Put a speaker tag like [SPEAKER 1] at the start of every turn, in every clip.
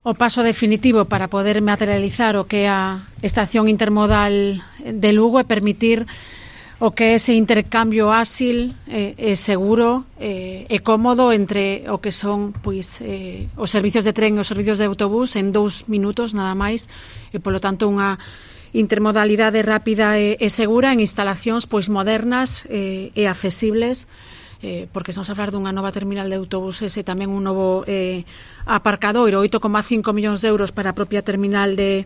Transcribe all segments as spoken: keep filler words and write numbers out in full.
[SPEAKER 1] O paso definitivo para poder materializar o que é a estación intermodal de Lugo e permitir o que é ese intercambio áxil e, e seguro e, e cómodo entre o que son pois eh, os servicios de tren e os servicios de autobús en dous minutos nada máis e polo tanto unha intermodalidade rápida e, e segura en instalacións pois modernas e, e accesibles. Eh, porque estamos a falar dunha nova terminal de autobuses e tamén un novo eh, aparcadoiro, oito coma cinco millóns de euros para a propia terminal de,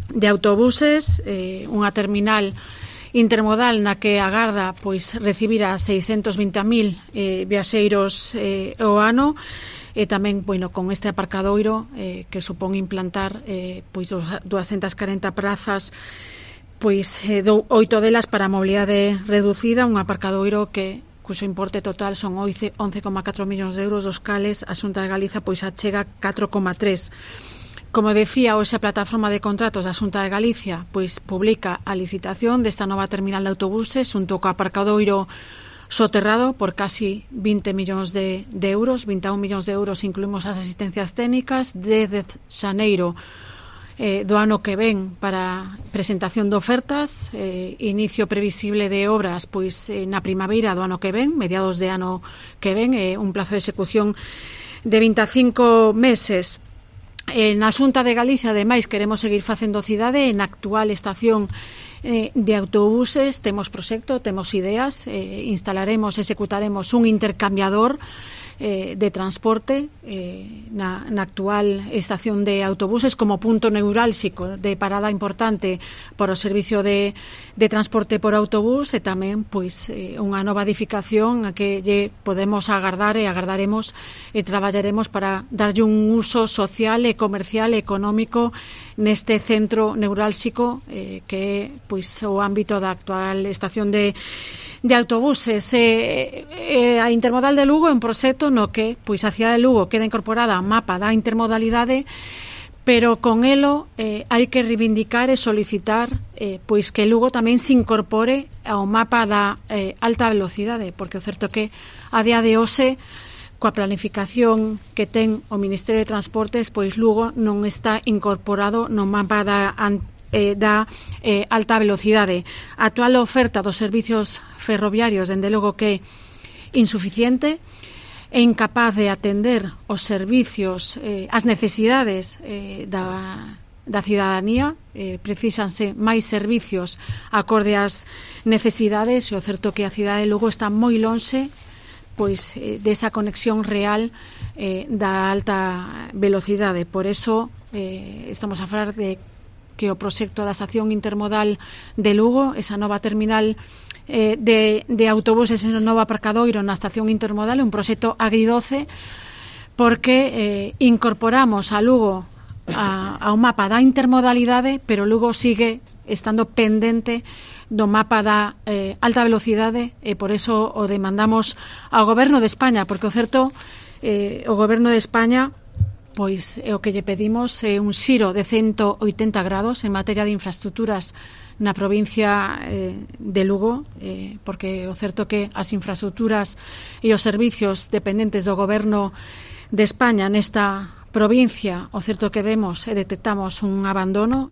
[SPEAKER 1] de autobuses, eh, unha terminal intermodal na que agarda pois recibir a seiscentos vinte mil eh, viaxeiros eh, o ano e tamén, bueno, con este aparcadoiro eh, que supón implantar eh, pois doscientas corenta prazas, pois eh, do, oito delas para a mobilidade reducida, un aparcadoiro que cuxo importe total son once coma catro millóns de euros, dos cales a Xunta de Galiza pois achega catro coma tres. Como decía, hoxe a plataforma de contratos da Xunta de Galicia pois publica a licitación desta nova terminal de autobuses xunto co aparcadoiro soterrado por casi vinte millóns de, de euros, vinte e un millóns de euros incluímos as asistencias técnicas desde xaneiro Eh, do ano que ven para presentación de ofertas, eh, inicio previsible de obras pois eh, na primavera do ano que ven, mediados de ano que ven, eh, un plazo de execución de vinte e cinco meses. Eh, na Xunta de Galicia, ademais, queremos seguir facendo cidade. En actual estación eh, de autobuses temos proxecto, temos ideas, eh, instalaremos, executaremos un intercambiador Eh, de transporte eh, na, na actual estación de autobuses como punto neurálxico de parada importante para o servicio de, de transporte por autobús e tamén pois eh, unha nova edificación a que lle podemos agardar e agardaremos e traballaremos para darlle un uso social e comercial e económico neste centro neurálxico eh, que é pois o ámbito da actual estación de de autobuses. Eh, eh, a Intermodal de Lugo é un proxecto no que pois a cidade de Lugo queda incorporada ao mapa da intermodalidade, pero con elo eh, hai que reivindicar e solicitar eh, pois que Lugo tamén se incorpore ao mapa da eh, alta velocidade, porque o certo que a día de hoxe coa planificación que ten o Ministerio de Transportes, pois Lugo non está incorporado no mapa da Eh, da eh, alta velocidade. A actual oferta dos servicios ferroviarios, dende logo que é insuficiente, é incapaz de atender os servicios, eh, as necesidades eh, da, da cidadanía, eh, precisanse máis servicios acorde ás necesidades e o certo que a cidade de Lugo está moi lonxe pois eh, desa conexión real eh, da alta velocidade. Por eso eh, estamos a falar de que o proxecto da estación intermodal de Lugo, esa nova terminal eh, de, de autobuses en o novo aparcadoiro na estación intermodal, é un proxecto agridoce porque eh, incorporamos a Lugo a, a un mapa da intermodalidade, pero Lugo sigue estando pendente do mapa da eh, alta velocidade e por eso o demandamos ao Goberno de España, porque o certo eh, o Goberno de España pois é o que lle pedimos é un xiro de ciento oitenta grados en materia de infraestructuras na provincia eh, de Lugo, eh, porque o certo que as infraestructuras e os servicios dependentes do Goberno de España nesta provincia, o certo que vemos e detectamos un abandono.